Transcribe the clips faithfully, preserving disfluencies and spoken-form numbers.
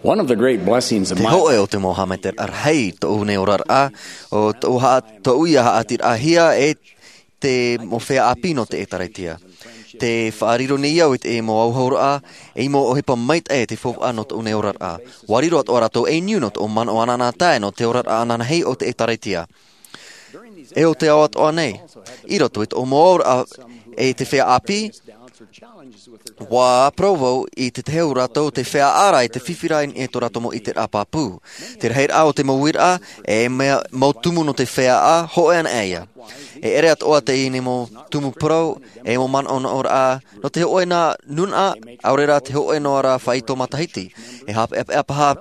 One of the great blessings of Te my hoʻe o te mau haʻamaitaʻiraʻa rahi i tōʻu nei oraraʻa, o tōʻu haʻa-, tōʻu ia haʻatirahia e te mau feiā ʻāpī nō te ʻĒtārētia. Te faʻariro nei au i te mau auahoraʻa, ei mau ʻohipa maitaʻi e te faufaʻa nō tōʻu nei oraraʻa. ʻUa riro atoʻa rātou ei niu nō tōʻu manaʻo anaanatae nō te oraraʻa ananahi o te ʻĒtārētia. E o te ao atoʻa nei, i roto i tōʻu mau auraʻa e te feiā ʻāpī, ʻua parau vau i te tahi o rātou te feiā ʻāraʻa i te fifi raʻa i tō rātou mau ʻiteraʻa pāpū. Te rahiraʻa o te mau uiraʻa, e mea mau tumu nō te feiā ʻā, hōʻē anaʻe ia. E ʻere atoʻa teie nei mau tumu parau, e mau manaʻonaʻoraʻa, nō te hōʻē nā nūnaʻa, ʻaore rā te hōʻē noa rā faito matahiti. E haʻapeʻapeʻa paha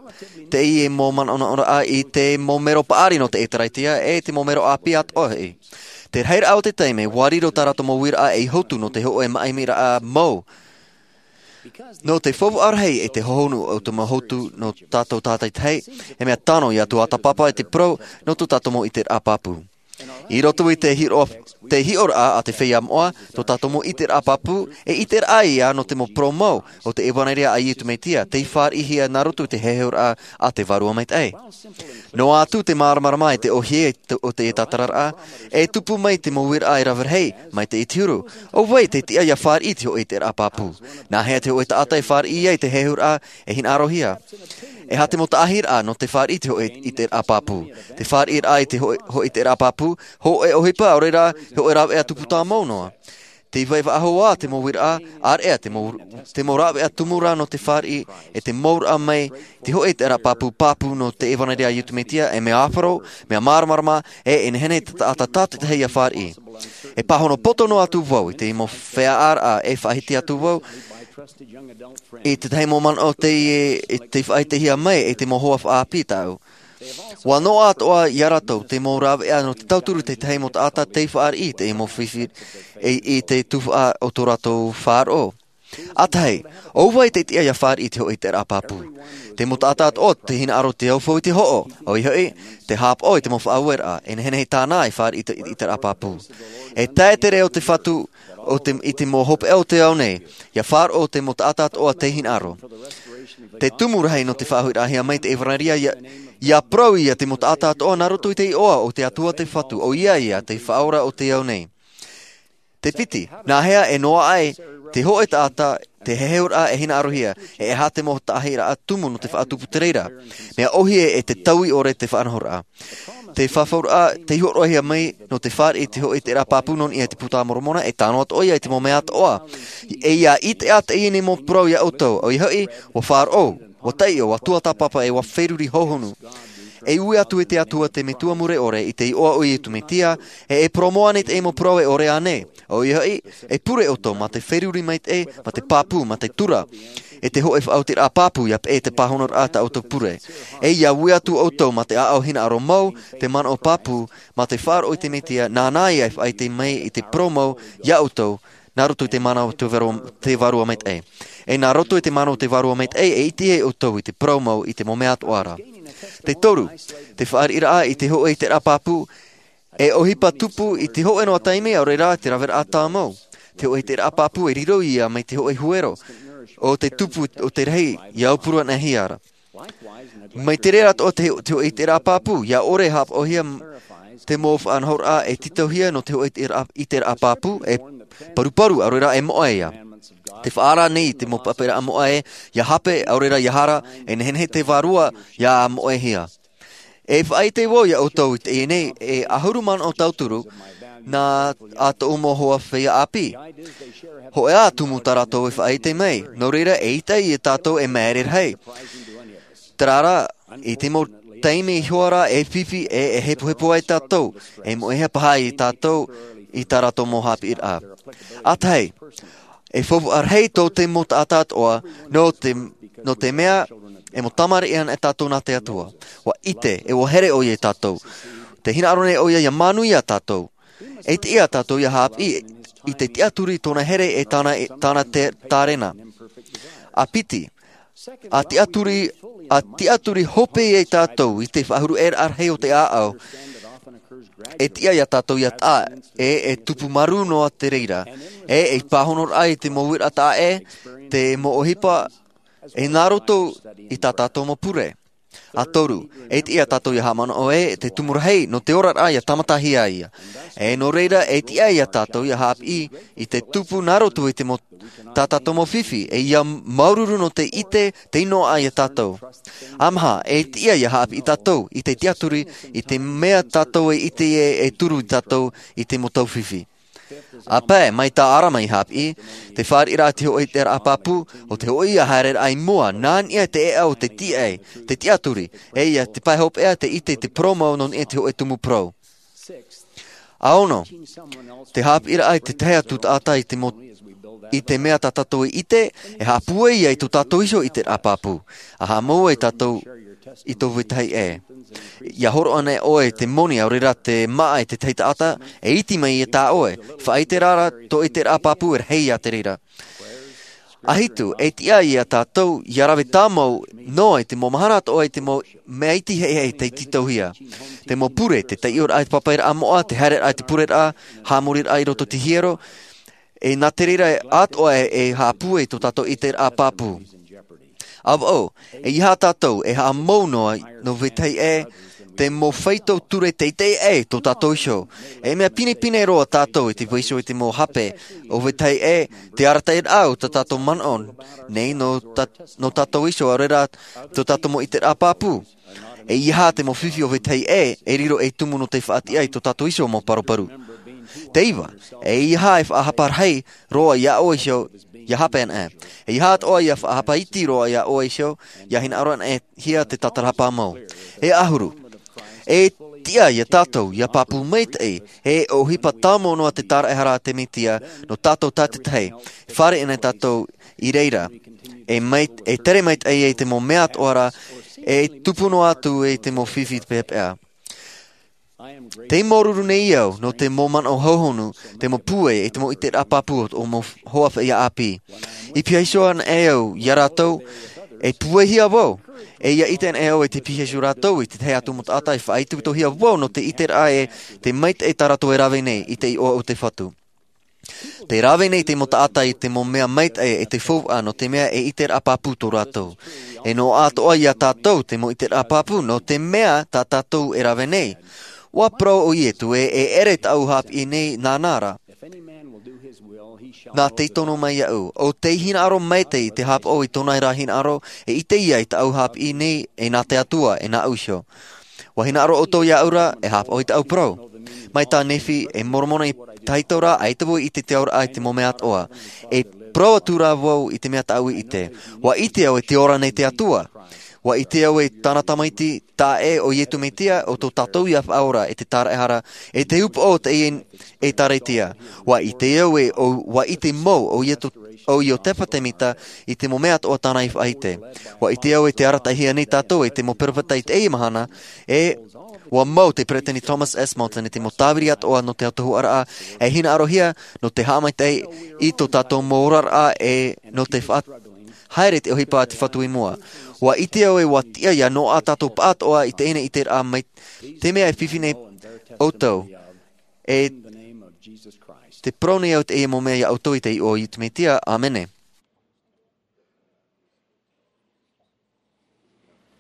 teie mau manaʻonaʻoraʻa i te mau mero paʻari nō te ʻĒtārētia, e te mau mero ʻāpī atoʻa hoʻi. Te rahiraʻa o te taime, ʻua riro tā rātou mau uiraʻa ei hotu nō te hōʻē māʻimiraʻa mau. Nō te faufaʻa rahi e te hohonu o te mau hotu nō tātou tātaitahi, e mea tano ia tuatāpapa e te parau nō tō tātou mau ʻiteraʻa pāpū. I roto i te hiʻo-, te hiʻoraʻa a te feiā moʻa, tō tātou mau ʻiteraʻa pāpū, e ʻiteraʻa ia nō te mau parau mau o te ʻevanelia a Iesu Mesia, tei fāriʻihia nā roto i te heheuraʻa a te Vārua Maitaʻi. Noa atu te māramarama i te ʻōhie te, o te tātararaʻa, e tupu mai te mau uiraʻa e rave rahi, mai te iti huru. ʻO vai te tiʻa ia fāriʻi te hōʻē ʻiteraʻa pāpū? Nā hea te hōʻē taʻata e fāriʻi ia i te heheuraʻa e hinaʻarohia? E aha te mau taʻahiraʻa nō te fāriʻi te hōʻē ʻiteraʻa pāpū? Te fāriʻiraʻa i te hōʻē, hōʻē ʻiteraʻa pāpū, hōʻē ʻohipa, ʻaore rā, hōʻē rāveʻa tupu tāmau noa. Tei vai faʻahou ā te mau uiraʻa, ʻāreʻa te mau, te mau rāveʻa tumu rā nō te fāriʻi, e te mauraʻa mai, te hōʻē ʻiteraʻa pāpū, pāpū nō te ʻevanelia a Iesu Mesia, e mea āfaro, mea māramarama, e, e nehenehe te taʻata tātaʻitahi ia fāriʻi. E pāhono poto noa atu vau, i te mau feiā ʻāraʻa, e faʻahiti atu vau, i te tahi mau manaʻo tei, e, tei faʻahitihia mai, e te mau hoa faʻaʻāpī tāʻu. ʻUa noaʻa atoʻa ia rātou te mau rāveʻa nō te tauturu i te tahi mau taʻata tei fāriʻi i te mau fifi, e, i te tuhaʻa o tō rātou faʻaroʻo. ʻA tahi, ʻo vai te tiʻa ia fāriʻi i te hōʻē ʻiteraʻa pāpū? Te mau taʻata atoʻa tē hinaʻaro te aufau i te hoʻo, ʻoia hoʻi, te haʻapaʻo i te mau faʻaueraʻa, e nehenehe tāna e fāriʻi i te, i te ʻiteraʻa pāpū. E tae te reo o te Fatu, o te, i te mau hopeʻa o te ao nei, ia faʻaroʻo te mau taʻata atoʻa tē hinaʻaro. Te tumu rahi nō te faʻahuiraʻahia mai te ʻevanelia ia, ia parau ia te mau taʻata atoʻa nā roto i te iʻoa o te Atua te Fatu, ʻoia ia te Faʻaora o te ao nei. Te piti, nā hea e noaʻa ai te hōʻē taʻata te heheuraʻa e hinaʻarohia, e aha te mau taʻahiraʻa tumu nō te faʻatupu te reira? Mea ʻōhie e te taui ʻore te faʻanahoraʻa. Te faʻaroʻohia, tei hōroʻahia mai nō te fāriʻi i te hōʻē ʻiteraʻa pāpū nō niʻa i te Puta Moromona, e tano atoʻa ia i te mau mea atoʻa. E ʻia ʻite ā teie nei mau parau ia ʻoutou, ʻoia hoʻi, ʻua faʻaroʻo, ʻua taiʻo, ʻua tuatāpapa, e ʻua feruri hohonu. E ui atu i te Atua te Metua Mure ʻore i te iʻoa o Iesu Mesia, e, e poromo ānei teie mau parau e ʻore ānei? ʻOia hoʻi, e pure ʻoutou mā te feruri maitaʻi, mā te pāpū, mā te tura. E te hōʻē faʻaotiraʻa pāpū, ʻia peʻe te pāhonoraʻa tā ʻoutou pure. E ʻia ui atu ʻoutou mā te ʻāʻau hinaʻaro mau, te manaʻo pāpū, mā te faʻaroʻo i te Mesia, nāna ia e faʻaʻite mai i te parau mau ia ʻoutou, nā roto i te mana o te Vārua, te Vārua Maitaʻi. E nā roto i te mana o te Vārua Maitaʻi, e ʻitehia ʻoutou i te parau mau i te mau mea atoʻa ra. Te toru, te fāriʻiraʻa i te hōʻē ʻiteraʻa pāpū, e ʻohipa tupu i te hōʻē noa taime, ʻaore rā te raveraʻa tāmau. Te hōʻē ʻiteraʻa pāpū e riro ia mai te hōʻē huero, ʻo te tupu o te rahi, ʻia aupuru anaʻe hia ra. Mai te reira atoʻa te, te hōʻē ʻiteraʻa pāpū, ʻia ʻore e haʻapaʻohia te mau faʻanahoraʻa e tītauhia nō te hōʻē ʻiteraʻa, ʻiteraʻa pāpū, e paruparu, ʻaore rā e moʻe ia. Tē faʻaara nei te mau papaʻiraʻa moʻe, ʻia hape, ʻaore rā ʻia hara, e nehenehe te vārua ʻia moʻehia. E faʻaʻite vau ia ʻoutou i teie nei, e ʻahuru manaʻo tauturu, nā, ā tōʻu mau hoa feiā ʻāpī. Hōʻē ā tumu tā rātou e faʻaʻite mai, nō reira eʻita ia tātou e māere rahi. Terā rā, i te mau taime i hua ra e fifi e, e hepohepo ai tātou, e moʻehia paha ia tātou i tā rātou mau haʻapiʻiraʻa. ʻA tahi, e faufaʻa rahi tō te mau taʻata atoʻa, nō te, nō te mea, e mau tamariʻi anaʻe tātou nā te Atua. ʻUa ʻite, e ʻua here ʻoia ia tātou. Tē hinaʻaro nei ʻoia ʻia manuia tātou. E tiʻa tātou ʻia haʻapiʻi i te tiʻaturi i tōna here e tāna, e tāna te, tārena. ʻA piti, ʻa tiʻaturi, ʻa tiʻaturi hope ia tātou i te faʻahuruʻaraʻa rahi o te ʻāʻau. E tiʻa ia tātou ʻia taʻa, e, e tupu marū noa te reira. E, e pāhonoraʻa i te mau uiraʻa taʻa ʻē, te mau ʻohipa, E nā roto i tā tātou mau pure. A toru, e tiʻa tātou ia haʻamanaʻo ē te tumu rahi nō te oraraʻa ia tāmatahia ia. E nō reira, e tiʻa ia tātou ia haʻapiʻi i te tupu nā roto i te mau, tā tātou mau fifi, e ia māuruuru nō te ʻite tei noaʻa ia tātou. A maha, e tiʻa ia haʻapiʻi tātou i te tiaturi i te mea tātou e ʻite ē e turu i tātou i te mau tau fifi. A pae, mai tā ʻArama i haʻapiʻi, te fāriʻiraʻa te hoʻi i te raʻa pāpū, ʻo te hoʻi ia haereraʻa i mua, nā niʻa te ʻēʻa o te tiʻa, te tiaturi, e ia te pae hopeʻa te ʻite i te parau mau nō niʻa te hoʻi tumu parau. A ono, te haʻapiʻiraʻa i te tahi atu taʻata i te mo-, i te mea tā tātou e ʻite, e haʻapūai ia i tō tātou iho i te raʻa pāpū. A haʻamau ai tātou i tō vetahi ʻē. Ia horo ana ʻoe te moni, ʻaore rā te māʻa i te tahi taʻata, e iti mai ia tā ʻoe. Faʻaʻite rā, tō ʻiteraʻa pāpū e rahi ia te reira. A hitu, e tiʻa ia tātou, ia rave tāmau noa i te mau mahana atoʻa i te mau mea iti heʻeheʻe tei tītauhia. Te mau pure, te taiʻoraʻa i te pāpaʻiraʻa moʻa, te haereraʻa i te pureraʻa, haʻamoriraʻa i roto i te hiero, e nā te reira atoʻa e, e haʻapūai tō tātou ʻiteraʻa pāpū. A vau, eiaha tātou e haʻamau noa nō vetahi ʻē, te mau faito ture teitei ʻē tō tātou iho. E mea pinepine roa tātou i te vaiiho i te mau hape o vetahi ʻē, te arataʻiraʻa o tā tātou manaʻo nei nō tā-, nō tātou iho, ʻaore rā tō tātou mau ʻiteraʻa pāpū. Eiaha te mau fifi o vetahi ʻē, e riro ei tumu nō te faʻatiʻa i tō tātou iho mau paruparu. Te iva, eiaha e faʻahapa rahi roa ia ʻoe iho, ia hape ana ē. Eiaha atoʻa ia faʻahapa iti roa ia ʻoe iho, ia hinaʻaro ana ē hia te tātarahapa mau. E ʻahuru, e tiʻa ia tātou, ia pāpū maitaʻi, e ʻohipa tāmau noa te tāraʻehara a te Mesia, nō tātou tātaʻitahi, fāriʻi ana tātou i reira, e mai-, e tere maitaʻi ai te mau mea atoʻa ra, e tupu noa atu i te mau fifi peʻapeʻa. Tei māuruuru nei au, nō te mau manaʻo hauhonu, te mau pūai, e te mau ʻiteraʻa pāpū o mau hoa feiā ʻāpī. I pihaʻi iho ana ē au ia rātou, e pūaihia vau, e ia ʻite ana ē au e te pihaʻi iho rātou, i te tahi atu mau taʻata e faʻaitoitohia vau nō te ʻiteraʻa e te maitaʻi tā rātou e rave nei, i te iʻoa o te Fatu. Te rave nei te mau taʻata i te mau mea maitaʻi e te faufaʻa nō te mea e ʻiteraʻa pāpū tō rātou. E noaʻa atoʻa ia tātou te mau ʻiteraʻa pāpū nō te mea tā tātou e rave nei. ʻUa parau ʻo Iesu ē, e ʻere tāʻu haʻapiʻi nei nāna ra. Nā te tono mai iaʻu. ʻO tē hinaʻaro maitaʻi i te haʻapaʻo i tōna ra hinaʻaro, e ʻite ia i tāʻu haʻapiʻi nei, e nā te Atua, e nāʻu iho. ʻUa hinaʻaro ʻoutou iāʻu ra, e haʻapaʻo i tāʻu parau. Mai tā Nephi, e Moromona i tahito ra, ʻaita vau i ʻite te auraʻa i te mau mea atoʻa. E parau atu rā vau i te mea tāʻu i ʻite. ʻUa ʻite au e te ora nei te Atua. ʻUa ʻite au e tāna Tamaiti, taeaʻe ʻo Iesu Mesia, ʻo tō tātou ia Faʻaora, e te Tāraʻehara, e te upoʻo o teie ʻĒtārētia. ʻUa ʻite au e, ʻo, ʻua ʻite mau, ʻo Iesu, ʻo Iosefa Semita, i te mau mea atoʻa tāna i faʻaʻite. ʻUa ʻite au e tē arataʻihia nei tātou e te mau peropheta i teie mahana, e ʻua mau te Peresideni Thomas S. Monson i te mau tāviri atoʻa nō te autahuʻaraʻa, e hinaʻarohia nō te haʻamaitaʻi i tō tātou mau oraraʻa, e nō te faʻa-, haere te ʻohipa a te Fatu i mua. ʻUa ʻite au e ʻua tiʻa ia noaʻa tātou pāʻatoʻa i teie nei ʻiteraʻa mai te mea e fifi nei ʻoutou. E te parau nei au teie mau mea ia ʻoutou i te iʻoa o Iesu Mesia. ʻĀmene.